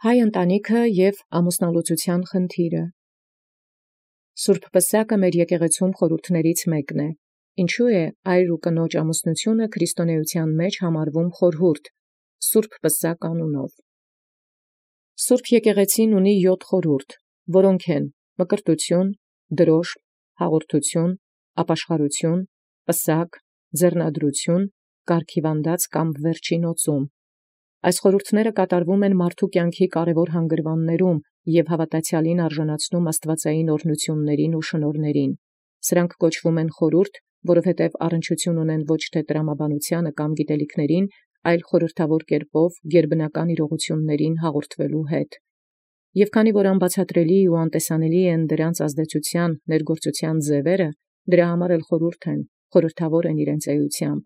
Հայ ընտանիքը և ամուսնալուծութեան խնդիրը։ Սուրբ Պսակը մեր եկեղեցում խորհուրդներից մեկն է։ Ինչու է այր ու կնոջ ամուսնությունը քրիստոնեության մեջ համարվում խորհուրդ Սուրբ Պսակ անունով։ Սուրբ եկեղեցին ունի 7 խորհուրդ, որոնք են մկրտություն, դրոշք, հաղորդություն, ապաշխարություն, պսակ, ձեռնադրություն, կարգիվանդած կամ վերջին օծում։ Այս խորհուրդները կատարվում են մարդու կյանքի կարևոր հանգրվաններում և հավատացյալին արժանացնում աստվածային օրհնություններին ու շնորհներին։ Սրանք կոչվում են խորհուրդ, որովհետև առնչություն ունեն ոչ թե տրամաբանությանը կամ գիտելիքներին, այլ խորհրդավոր կերպով գերբնական իրողություններին հաղորդվելու հետ։ Եւ քանի որ անբացատրելի ու անտեսանելի են դրանց ազդեցության ներգործության ձևերը, դրա համար էլ խորհուրդ են, խորհրդավոր են իրենց էությամբ։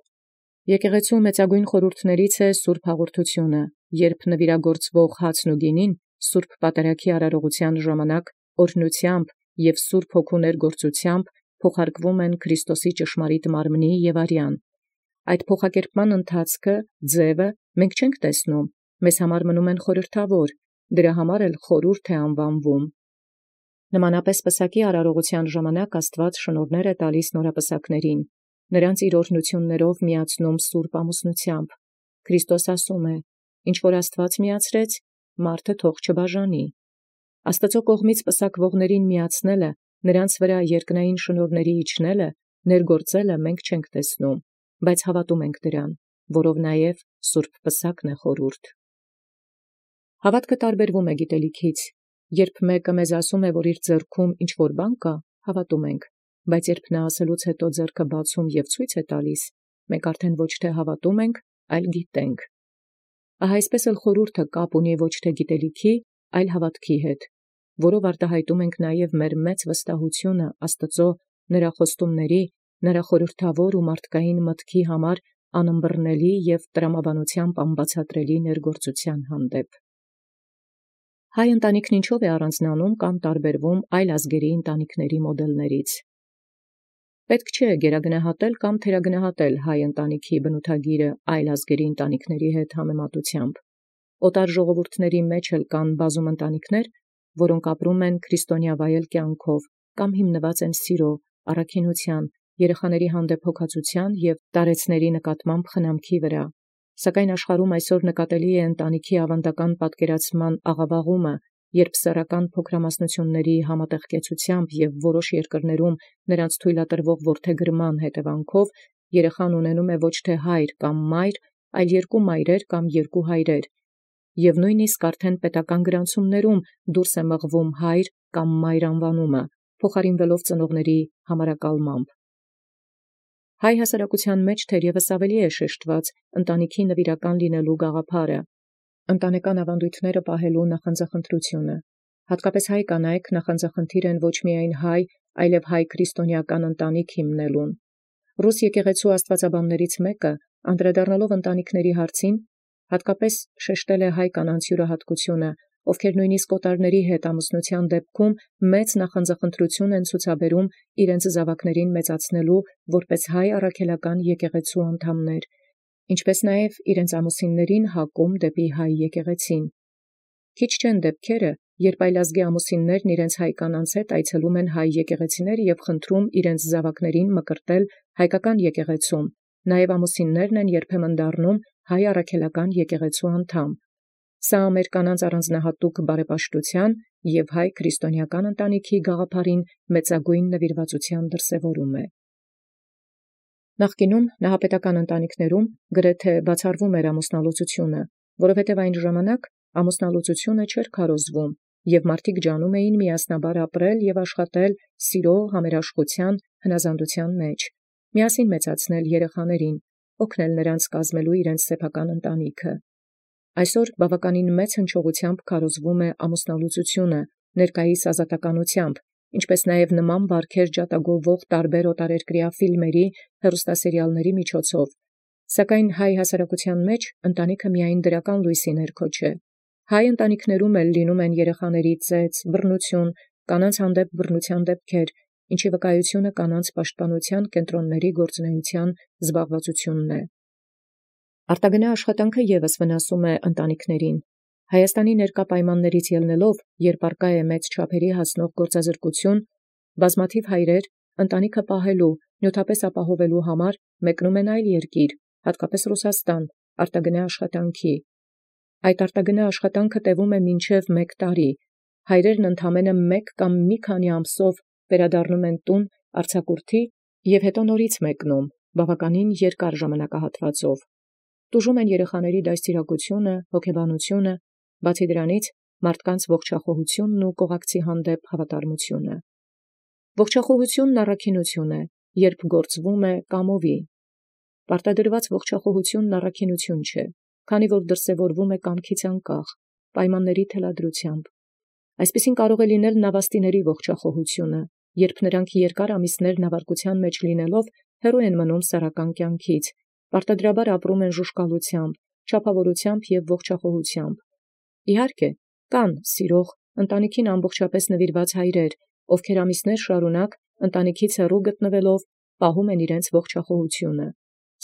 Եկեղեցու մեծագույն խորհուրդներից է Սուրբ Հաղորդությունը, երբ նվիրագործվող հացն ու գինին Սուրբ Պատարագի արարողության ժամանակ օրհնությամբ և Սուրբ Հոգու ներգործությամբ փոխարկվում են Քրիստոսի ճշմարիտ մարմնի և արյան։ Այդ փոխակերպման ընթացքը, ձևը մենք չենք տեսնում, մեզ համար մնում են խորհրդավոր, դրա համար էլ խորհուրդ է անվանվում։ Նմանապես Պսակի արարողության ժամանակ Աստված շնորհներ է տալիս նորապսակներին, նրանց իր օրհնություններով միացնում Սուրբ ամուսնությամբ։ Քրիստոս ասում է. «Ինչ որ Աստված միացրեց, մարդը թող չբաժանի»։ Աստծո կողմից պսակվողներին միացնելը, նրանց վրա երկնային շնորհների իջնելը, ներգործելը մենք չենք տեսնում, բայց հավատում ենք դրան, որով նաև Սուրբ Պսակն է խորհուրդ։ Հավատքը տարբերվում է գիտելիքից։ Երբ մեկը մեզ ասում է, որ իր ձեռքում ինչ որ բան կա, հավատում ենք, բայց երբ նա ասելուց հետո ձեռքը բացում և ցույց է տալիս, մենք արդեն ոչ թե հավատում ենք, այլ գիտենք։ Ահա այսպես էլ խորհուրդը կապ ունի ոչ թե գիտելիքի, այլ հավատքի հետ, որով արտահայտում ենք նաև մեր մեծ վստահությունը Աստծո, նրա խոստումների, նրա խորհրդավոր ու մարդկային մտքի համար անըմբռնելի և տրամաբանությամբ անբացատրելի ներգործության հանդեպ։ Հայ ընտանիքն ինչով է առանձնանում կամ տարբերվում այլ ազգերի ընտանիքների մոդելներից։ Պետք չէ գերագնահատել կամ թերագնահատել հայ ընտանիքի բնութագիրը այլ ազգերի ընտանիքների հետ համեմատությամբ։ Օտար ժողովուրդների մեջ էլ կան բազում ընտանիքներ, որոնք ապրում են քրիստոնեավայել կյանքով կամ հիմնված են սիրո, առաքինության, երեխաների հանդեպ հոգացության և տարեցների նկատմամբ խնամքի վրա։ Սակայն աշխարհում այսօր նկատելի է ընտանիքի ավանդական պատկերացման աղավաղումը, երբ սեռական փոքրամասնությունների համատեղկեցությամբ և որոշ երկրներում նրանց թույլատրվող որդեգրման հետևանքով երեխան ունենում է ոչ թե հայր կամ մայր, այլ երկու մայրեր կամ երկու հայրեր, և նույնիսկ արդեն պետական գրանցումներում դուրս է մղվում հայր կամ մայր անվանումը, փոխարինվելով ծնողների համարակալմամբ։ Հայ հասարակության մեջ թերևս ավելի է շեշտված ընտանիքի նվիրական լինելու գաղափարը, ընտանեկան ավանդույթները պահելու նախանձախնդրությունը։ Հատկապես հայ կանայք նախանձախնդիր են ոչ միայն հայ, այլև հայ քրիստոնեական ընտանիք հիմնելուն։ Ռուս եկեղեցու աստվածաբաններից մեկը, անդրադառնալով ընտանիքների հարցին, հատկապես շեշտել է հայ կանանց յուրահատկությունը, ովքեր նույնիսկ օտարների հետ ամուսնության դեպքում մեծ նախանձախնդրություն են ցուցաբերում իրենց զավակներին մեծացնելու որպես հայ առաքելական եկեղեցու անդամներ, ինչպես նաև իրենց ամուսիններին հակում դեպի հայ եկեղեցին։ Քիչ չեն դեպքերը, երբ այլազգի ամուսիններն իրենց հայ կանանց հետ այցելում են հայ եկեղեցիներ և խնդրում իրենց զավակներին մկրտել հայկական եկեղեցում, նաև ամուսիններն են երբեմն դառնում հայ առաքելական եկեղեցու անդամ։ Սա մեր կանանց առանձնահատուկ բարեպաշտության և հայ քրիստոնեական ընտանիքի գաղափարին մեծագույն նվիրվածության դրսևորում է։ Նախկինում նահապետական ընտանիքներում գրեթե բացառվում էր ամուսնալուծությունը, որովհետև այն ժամանակ ամուսնալուծությունը չէր քարոզվում, և մարդիկ ջանում էին միասնաբար ապրել և աշխատել սիրո, համերաշխության, հնազանդության մեջ, միասին մեծացնել երեխաներին, օգնել նրանց կազմելու իրենց սեփական ընտանիքը։ Այսօր բավականին մեծ հնչողությամբ քարոզվում է ամուսնալուծությունը ներկայիս ազատականությամբ, ինչպես նաև նման բարքեր ջատագովող տարբեր օտարերկրյա ֆիլմերի, հեռուստասերիալների միջոցով, սակայն հայ հասարակության մեջ ընտանիքը միայն դրական լույսի ներքո չէ։ Հայ ընտանիքներում էլ լինում են երեխաների ծեծ, բռնություն, կանանց հանդեպ բռնության դեպքեր, ինչի վկայությունը կանանց պաշտպանության կենտրոնների գործունեության զբաղվածությունն է։ Արտագնա աշխատանքը ևս վնասում է ընտանիքներին։ Հայաստանի ներկա պայմաններից ելնելով, երբ արկա է մեծ չափերի հասնող գործազրկություն, բազմաթիվ հայրեր ընտանիքը պահելու, նյութապես ապահովելու համար մեկնում են այլ երկիր, հատկապես Ռուսաստան, արտագնա աշխատանքի։ Այդ արտագնա աշխատանքը տևում է մինչև 1 տարի։ Հայրերն ընդամենը 1 կամ մի քանի ամսով վերադառնում են տուն արձակուրդի և հետո նորից մեկնում, բավականին երկար ժամանակահատվածով։ Տուժում են երեխաների դաստիարակությունը, հոգեբանությունը, բացի դրանից մարդկանց ողջախոհությունն ու կողակցի հանդեպ հավատարմությունը։ Ողջախոհությունն առաքինություն է, երբ գործվում է կամովի։ Պարտադրված ողջախոհությունն առաքինություն չէ, քանի որ դրսևորվում է կամքից անկախ, պայմանների թելադրությամբ։ Այսպիսին կարող է լինել նավաստիների ողջախոհությունը, երբ նրանք երկար ամիսներ նավարկության մեջ լինելով հեռու են մնում սեռական կյանքից, պարտադրաբար ապրում են ժուժկալությամբ, չափավորությամբ և ողջախոհությամբ։ Իհարկե, կան սիրող, ընտանիքին ամբողջապես նվիրված հայրեր, ովքեր ամիսներ շարունակ ընտանիքից հեռու գտնվելով պահում են իրենց ողջախոհությունը։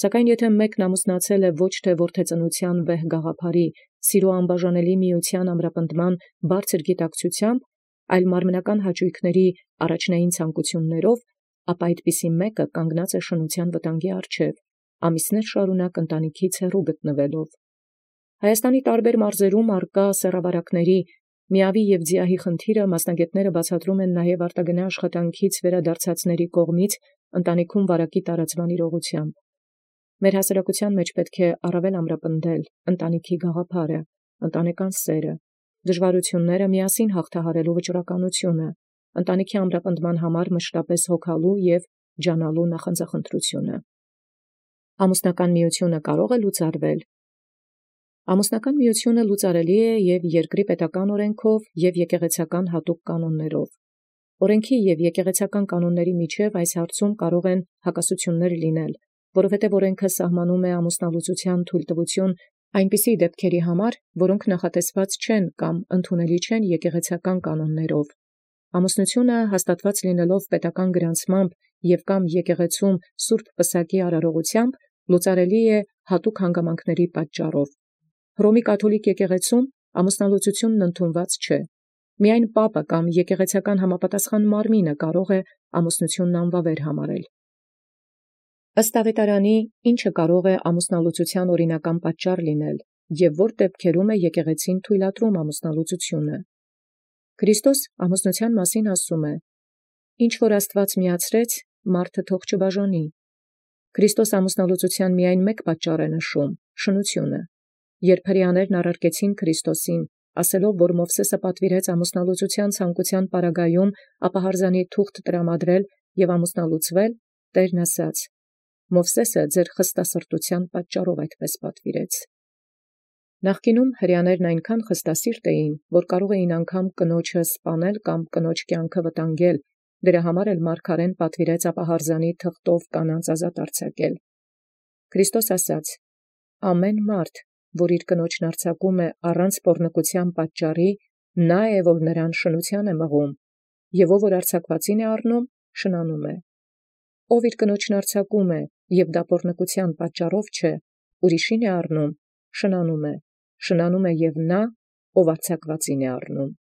Սակայն եթե մեկն ամուսնացել է ոչ թե որդեծնության վեհ գաղափարի, սիրո անբաժանելի միության ամրապնդման բարձր գիտակցությամբ, այլ մարմնական հաճույքների առաջնային ցանկություններով, ապա այդպիսի մեկը կանգնած է շնության վտանգի առջև, ամիսներ շարունակ ընտանիքից հեռու գտնվելով։ Հայաստանի տարբեր մարզերում արկա սեռավարակների միավի և ձիահի խնդիրը մասնագետները բացատրում են նաև արտագնա աշխատանքից վերադարձածների կողմից ընտանիքում վարակի տարածման իրողությամբ։ Մեր հասարակության մեջ պետք է առավել ամրապնդել ընտանիքի գաղափարը, ընտանեկան սերը, դժվարությունները միասին հաղթահարելու վճռականությունը, ընտանիքի ամրապնդման համար մշտապես հոգալու և ջանալու նախանձախնդրությունը։ Ամուսնական միությունը կարող է լուծարվել։ Ամուսնական միությունը լուծարելի է և երկրի պետական օրենքով և եկեղեցական հատուկ կանոններով։ Օրենքի և եկեղեցական կանոնների միջև այս հարցում կարող են հակասություններ լինել, որովհետև օրենքը սահմանում է ամուսնալուծության թույլտվություն այնպիսի դեպքերի համար, որոնք նախատեսված չեն կամ ընդունելի չեն եկեղեցական կանոններով։ Ամուսնությունը հաստատված լինելով պետական գրանցմամբ և կամ եկեղեցում սուրբ պսակի արարողությամբ լուծարելի է հատուկ հանգամանքների պատճառով։ Հռոմի կաթոլիկ եկեղեցում ամուսնալուծությունն ընդունված չէ։ Միայն պապը կամ եկեղեցական համապատասխան մարմինը կարող է ամուսնությունն անվավեր համարել։ Ըստ ավետարանի, ինչը կարող է ամուսնալուծության օրինական պատճառ լինել և որ դեպքերում է եկեղեցին թույլատրում ամուսնալուծությունը։ Քրիստոս ամուսնության մասին ասում է. «Ինչ որ Աստված միացրեց, մարդը թող չբաժանի»։ Քրիստոս ամուսնալուծության միայն մեկ պատճառ է նշում՝ շնությունը։ Երբ հրեաներն առարկեցին Քրիստոսին, ասելով, որ Մովսեսը պատվիրեց ամուսնալուծության ցանկության պարագայում ապահարզանի թուղթ տրամադրել և ամուսնալուծվել, Տերն ասաց. «Մովսեսը ձեր խստասրտության պատճառով այդպես պատվիրեց»։ Նախկինում հրեաներն այնքան խստասիրտ էին, որ կարող էին անգամ կնոջը սպանել կամ կնոջ կյանքը վտանգել, դրա համար էլ մարգարեն պատվիրեց ապահարզանի թղթով կանանց ազատ արձակել։ Քրիստոս ասաց. «Ամեն մարդ, որ իր կնոջն արձակում է առանց պոռնկության պատճառի, նա է, որ նրան շնության է մղում, և ով որ արձակվածին է առնում, շնանում է։ Ով իր կնոջն արձակում է, և դա պոռնկության պատճառով չէ, ուրիշին է առնում, շնանում է և նա, ով արձակվածին է առնում»։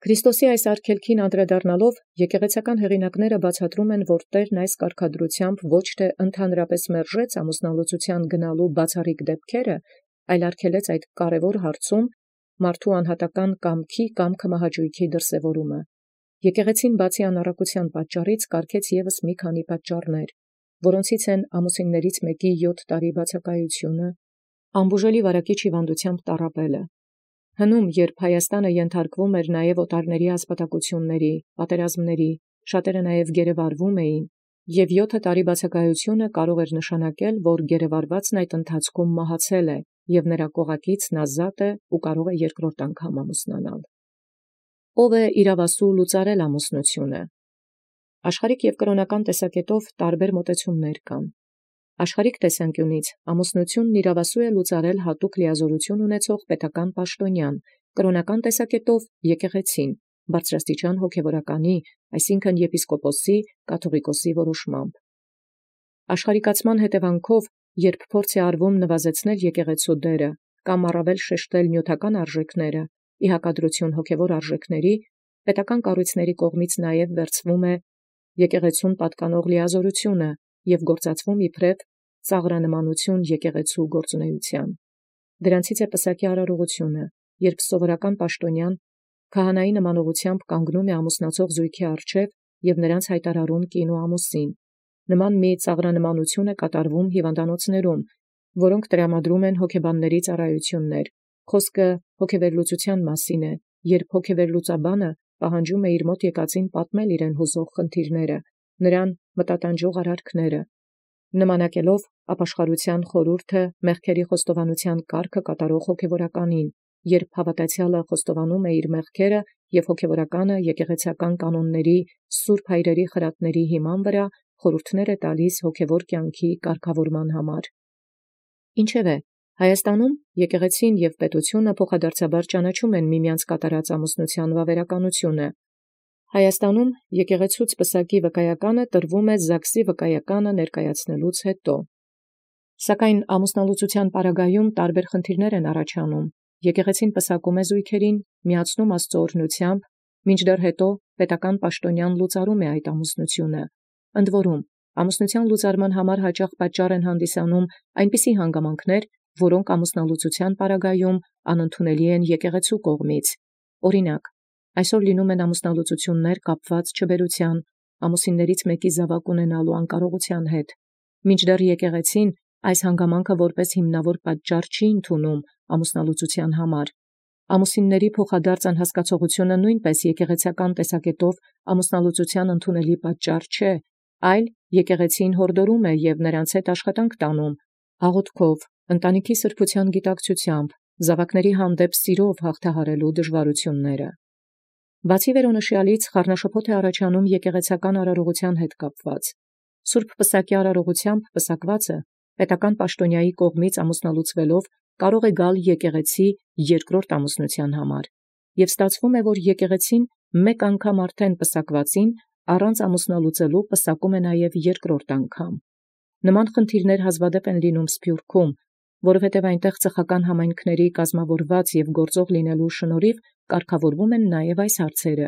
Քրիստոսի այս արգելքին անդրադառնալով եկեղեցական հեղինակները բացատրում են, որ Տերն այս կարգադրությամբ ոչ թե ընդհանրապես մերժեց ամուսնալուծության գնալու բացառիկ դեպքերը, այլ արգելեց այդ կարևոր հարցում մարդու անհատական կամքի կամ քմահաճույքի դրսևորումը։ Եկեղեցին բացի անառակության պատճառից կարգեց ևս մի քանի պատճառներ, որոնցից են ամուսիններից մեկի 7 տարի բացակայությունը, անբուժելի վարակիչ հիվանդությամբ տառապելը, հնում, երբ Հայաստանը ենթարկվում էր նաև օտարների ասպատակությունների, պատերազմների, շատերը նաև գերեվարվում էին, և 7 տարի բացակայությունը կարող էր նշանակել, որ գերեվարվածն այդ ընթացքում մահացել է, և նրա կողակիցն ազատ է ու կարող է երկրորդ անգամ ամուսնանալ։ Ո՞վ է իրավասու լուծարել ամուսնությունը։ Աշխարհիկ և կրոնական տեսակետով տարբեր մոտեցումներ կան։ Աշխարհիկ տեսանկյունից ամուսնությունն իրավասու է լուծարել հատուկ լիազորություն ունեցող պետական պաշտոնյան, կրոնական տեսակետով եկեղեցին, բարձրաստիճան հոգևորականի, այսինքն եպիսկոպոսի, կաթողիկոսի որոշմամբ։ Աշխարհիկացման հետևանքով, երբ փորձ է արվում նվազեցնել եկեղեցու դերը, կամ առավել շեշտել նյութական արժեքները, ի հակադրություն հոգևոր արժեքների, պետական կառույցների կողմից նաև վերցվում է եկեղեցուն պատկանող լիազորությունը և գործածվում իբրև ծաղրանմանություն եկեղեցու գործունեության։ Դրանցից է պսակի արարողությունը, երբ սովորական պաշտոնյան քահանայի նմանողությամբ կանգնում է ամուսնացող զույգի առջև և նրանց հայտարարում կին ու ամուսին։ Նման մի ծաղրանմանություն է կատարվում հիվանդանոցներում, որոնք տրամադրում են հոգեբանների ծառայություններ։ Խոսքը հոգեվերլուծության մասին է, երբ հոգեվերլուծաբանը պահանջում է իր մոտ եկածին պատմել իրեն հուզող խնդիրները, նրան մտատանջող արարքները, նմանակելով ապաշխարության խորհուրդը մեղքերի խոստովանության կարգը կատարող հոգևորականին, երբ հավատացյալը խոստովանում է իր մեղքերը և հոգևորականը եկեղեցական կանոնների սուրբ հայրերի խրատների հիման վրա խորհուրդներ է տալիս հոգևոր կյանքի կարգավորման համար։ Ինչևէ, Հայաստանում եկեղեցին և պետությունը փոխադարձաբար ճանաչում են միմյանց կատարած ամուսնության վավերականությունը։ Հայաստանում եկեղեցուց պսակի վկայականը տրվում է ԶԱԳՍ-ի վկայականը ներկայացնելուց հետո։ Սակայն ամուսնալուծության պարագայում տարբեր խնդիրներ են առաջանում։ Եկեղեցին պսակում է զույգերին, միացնում Աստծո օրհնությամբ, մինչդեռ հետո պետական պաշտոնյան լուծարում է այդ ամուսնությունը։ Ընդ որում, ամուսնության լուծարման համար հաճախ պատճառ են հանդիսանում այնպիսի հանգամանքներ, որոնք ամուսնալուծության պարագայում անընդունելի են եկեղեցու կողմից։ Օրինակ, այսօր լինում են ամուսնալուծություններ կապված չբերության, ամուսիններից մեկի զավակ ունենալու անկարողության հետ, մինչդեռ եկեղեցին այս հանգամանքը որպես հիմնավոր պատճառ չի ընդունում ամուսնալուծության համար։ Ամուսինների փոխադարձ անհասկացողությունը նույնպես եկեղեցական տեսակետով ամուսնալուծության ընդունելի պատճառ չէ, այլ եկեղեցին հորդորում է և նրանց հետ աշխատանք տանում, աղոթքով, ընտանիքի սրբության գիտակցությամբ, զավակների հանդեպ սիրով հաղթահարելու դժվարությունները։ Բացի վերոնշյալից խառնաշփոթ է առաջանում եկեղեցական արարողության հետ կապված։ Սուրբ պսակի արարողությամբ պսակվածը պետական պաշտոնյայի կողմից ամուսնալուծվելով կարող է գալ եկեղեցի երկրորդ ամուսնության համար, և ստացվում է, որ եկեղեցին մեկ անգամ արդեն պսակվածին առանց ամուսնալուծելու պսակում է նաև երկրորդ անգամ։ Նման խնդիրներ հազվադեպ են լինում Սփյուռքում, որովհետև այնտեղ ծխական համայնքների կազմավորված և գործող լինելու շնորհիվ կարգավորվում են նաև այս հարցերը։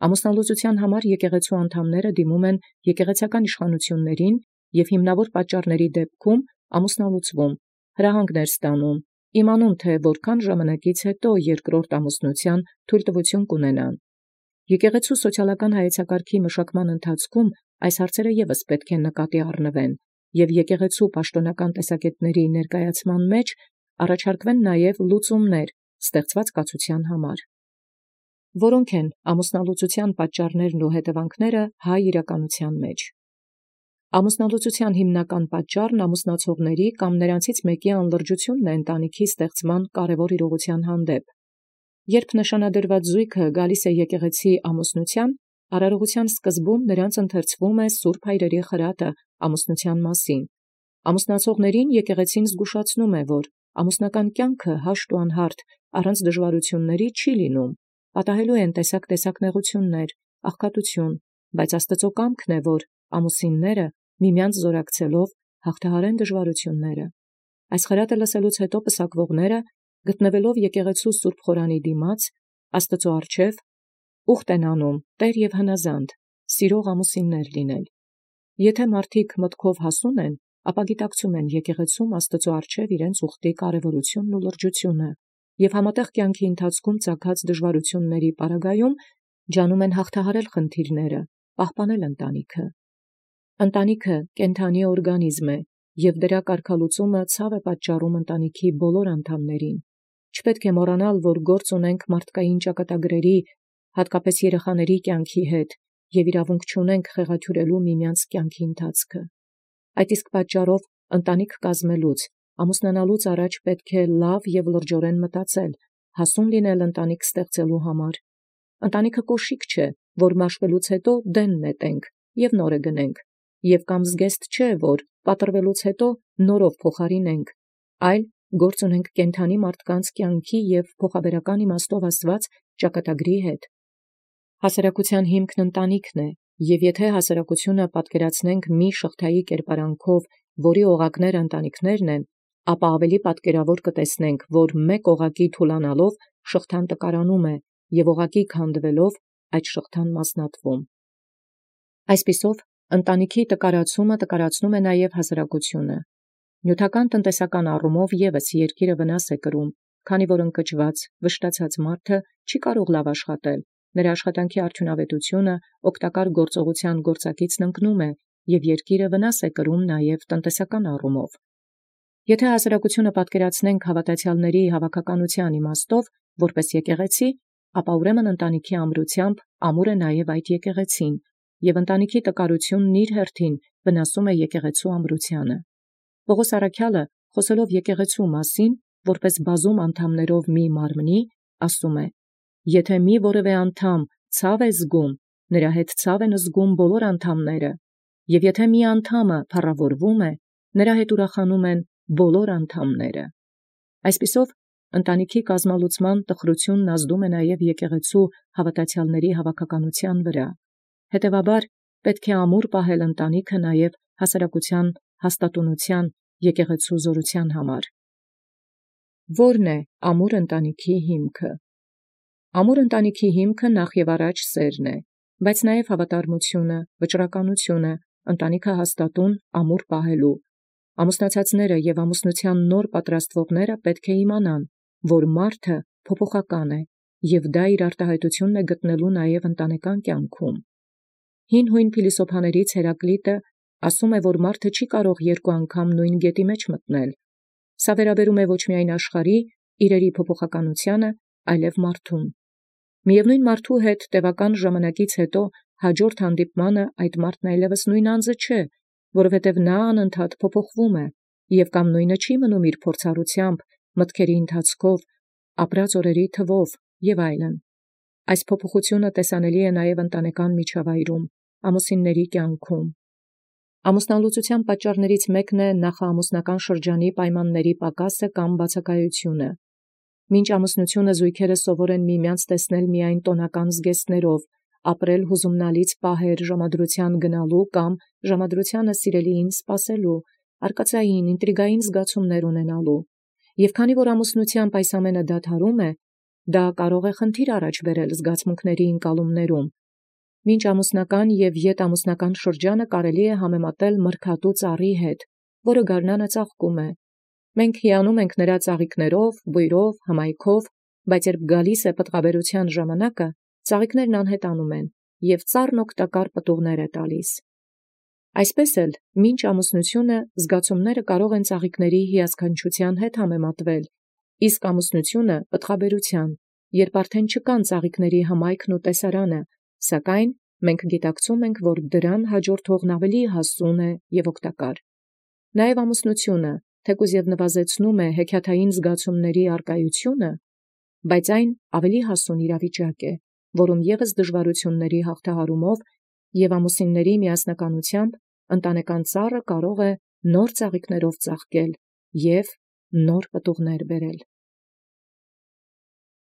Ամուսնալուծության համար եկեղեցու անդամները դիմում են եկեղեցական իշխանություններին և հիմնավոր պատճառների դեպքում ամուսնալուծվում, հրահանգներ ստանում, իմանում, թե որքան ժամանակից հետո երկրորդ ամուսնության թույլտվություն կունենան։ Եկեղեցու սոցիալական հայեցակարգի մշակման ընթացքում այս հարցերը ևս պետք է նկատի առնվեն, և եկեղեցու պաշտոնական տեսակետների ներկայացման մեջ առաջարկվեն նաև լուծումներ ստեղծված կացության համար։ Որոնք են ամուսնալուծության պատճառներն ու հետևանքները հայ իրականության մեջ։ Ամուսնալուծության հիմնական պատճառն ամուսնացողների կամ նրանցից մեկի անլրջությունն է ընտանիքի ստեղծման կարևոր իրողության հանդեպ։ Երբ նշանադրված զույգը գալիս է եկեղեցի ամուսնության, արարողության սկզբում նրանց ընթերցվում է սուրբ հայրերի խրատը ամուսնության մասին։ Ամուսնացողներին եկեղեցին զգուշացնում է, որ ամուսնական կյանքը հաշտ ու անհարթ առանց դժվարությունների չի լինում, պատահելու են տեսակ նեղություններ, աղքատություն, բայց Աստծո կամքն է, որ ամուսինները միմյանց զորակցելով հաղթահարեն դժվարությունները։ Այս խրատը լսելուց հետո պսակվողները, գտնվելով եկեղեցու սուրբ խորանի դիմաց, Աստծո առջև ուխտ են անում տեր և հնազանդ, սիրող ամուսիններ լինել։ Եթե մարդիկ մտքով հասուն են, ապա գիտակցում են եկեղեցում Աստծո առջև իրենց ուխտի կարևորությունն ու լրջությունը, և համատեղ կյանքի ընթացքում ծագած դժվարությունների պարագայում ջանում են հաղթահարել խնդիրները, պահպանել ընտանիքը։ Ընտանիքը կենդանի օրգանիզմ է, և դրա կարգալուծումը ցավ է պատճառում ընտանիքի բոլոր անդամներին։ Չպետք է մոռանալ, որ գործ ունենք մարդկային ճակատագրերի, հատկապես երեխաների կյանքի հետ, և իրավունք չունենք խեղաթյուրելու միմյանց կյանքի ընթացքը։ Այդ իսկ պատճառով ընտանիք կազմելուց, ամուսնանալուց առաջ պետք է լավ և լրջորեն մտածել, հասուն լինել ընտանիք ստեղծելու համար։ Ընտանիքը կոշիկ չէ, որ մաշվելուց հետո դեն նետենք և նորը գնենք, և կամ զգեստ չէ, որ պատռվելուց հետո նորով փոխարինենք, այլ գործ ունենք կենդանի մարդկանց կյանքի և փոխաբերական իմաստով ասված ճակատագրի հետ։ Հասարակության հիմքն ընտանիքն է, և եթե հասարակությունը պատկերացնենք մի շղթայի կերպարանքով, որի օղակները ընտանիքներն են, ապա ավելի պատկերավոր կտեսնենք, որ մեկ օղակի թուլանալով շղթան տկարանում է, և օղակի քանդվելով այդ շղթան մասնատվում։ Այսպիսով, ընտանիքի տկարացումը տկարացնում է նաև հասարակությունը։ Նյութական տնտեսական առումով ևս երկիրը վնաս է կրում, քանի որ ընկճված, վշտացած մարդը չի կարող լավ աշխատել, նրա աշխատանքի արդյունավետությունը օգտակար գործողության գործակիցն ընկնում է, և երկիրը վնաս է կրում նաև տնտեսական առումով։ Եթե հասարակությունը պատկերացնենք հավատացյալների հավաքականության իմաստով, որպես եկեղեցի, ապա ուրեմն ընտանիքի ամրությամբ ամուր է նաև այդ եկեղեցին, և ընտանիքի տկարությունն իր հերթին վնասում է եկեղեցու ամրությանը։ Պողոս առաքյալը, խոսելով եկեղեցու մասին, որպես բազում անդամներով մի մարմնի, ասում է. «Եթե մի որևէ անդամ ցավ է զգում, նրա հետ ցավ են զգում բոլոր անդամները, և եթե մի անդամը փառավորվում է, նրա հետ ուրախանում են բոլոր անդամները»։ Այսպիսով, ընտանիքի կազմալուծման տխրությունն ազդում է նաև եկեղեցու հավատացյալների հավաքականության վրա։ Հետևաբար, պետք է ամուր պահել ընտանիքը նաև հասարակության հաստատունության, եկեղեցու զորության համար։ Ո՞րն է ամուր ընտանիքի հիմքը։ Ամուր ընտանիքի հիմքը նախ և առաջ սերն է, բայց նաև հավատարմությունը, վճռականությունը, ընտանիքը հաստատուն ամուր պահելու։ Ամուսնացածները և ամուսնության նոր պատրաստվողները պետք է իմանան, որ մարդը փոփոխական է, և դա իր արտահայտությունն է գտնելու նաև ընտանեկան կյանքում։ Հին հույն փիլիսոփաներից Հերակլիտը ասում է, որ մարդը չի կարող երկու անգամ նույն գետի մեջ մտնել։ Սա վերաբերում է ոչ միայն աշխարհի, իրերի փոփոխականությանը, այլև մարդուն։ Միևնույն մարդու հետ տևական ժամանակից հետո հաջորդ հանդիպմանը այդ մարդն այլևս նույն անձը չէ, որովհետև նա անընդհատ փոփոխվում է, և կամ նույնը չի մնում իր փորձառությամբ, մտքերի ընթացքով, ապրած օրերի թվով և այլն։ Այս փոփոխությունը տեսանելի է նաև ընտանեկան միջավայրում, ամուսինների կյանքում։ Ամուսնալուծության պատճառներից մեկն է նախաամուսնական շրջանի պայմանների պակասը կամ բացակայությունը։ Մինչ ամուսնությունը զույգերը սովոր են միմյանց տեսնել միայն տոնական զգեստներով, ապրել հուզումնալից պահեր ժամադրության գնալու կամ ժամադրությանը սիրելիին սպասելու, արկածային, ինտրիգային զգացումներ ունենալու։ Եվ քանի որ ամուսնությամբ այս ամենը դադարում է, դա կարող է խնդիր առաջ բերել զգացմունքների ընկալումներում։ Մինչ ամուսնական և ետամուսնական շրջանը կարելի է համեմատել մրգատու ծառի հետ, որը գարնանը ծաղկում է։ Մենք հիանում ենք նրա ծաղիկներով, բույրով, հմայքով, բայց երբ գալիս է պտղաբերության ժամանակը, ծաղիկներն անհետանում են, և ծառն օգտակար պտուղներ է տալիս։ Այսպես էլ, մինչ ամուսնությունը զգացումները կարող են ծաղիկների հիասքանչության հետ համեմատվել, իսկ ամուսնությունը պտղաբերության, երբ արդեն չկան ծաղիկների հմայքն ու տեսարանը, սակայն մենք գիտակցում ենք, որ դրան հաջորդողն ավելի հասուն է և օգտակար։ Նաև ամուսնությունը, թեկուզ և նվազեցնում է հեքիաթային զգացումների առկայությունը, բայց այն ավելի հասուն իրավիճակ է, որում ևս դժվարությունների հաղթահարումով և ամուսինների միասնականությամբ ընտանեկան ծառը կարող է նոր ծաղիկներով ծաղկել և նոր պտուղներ բերել։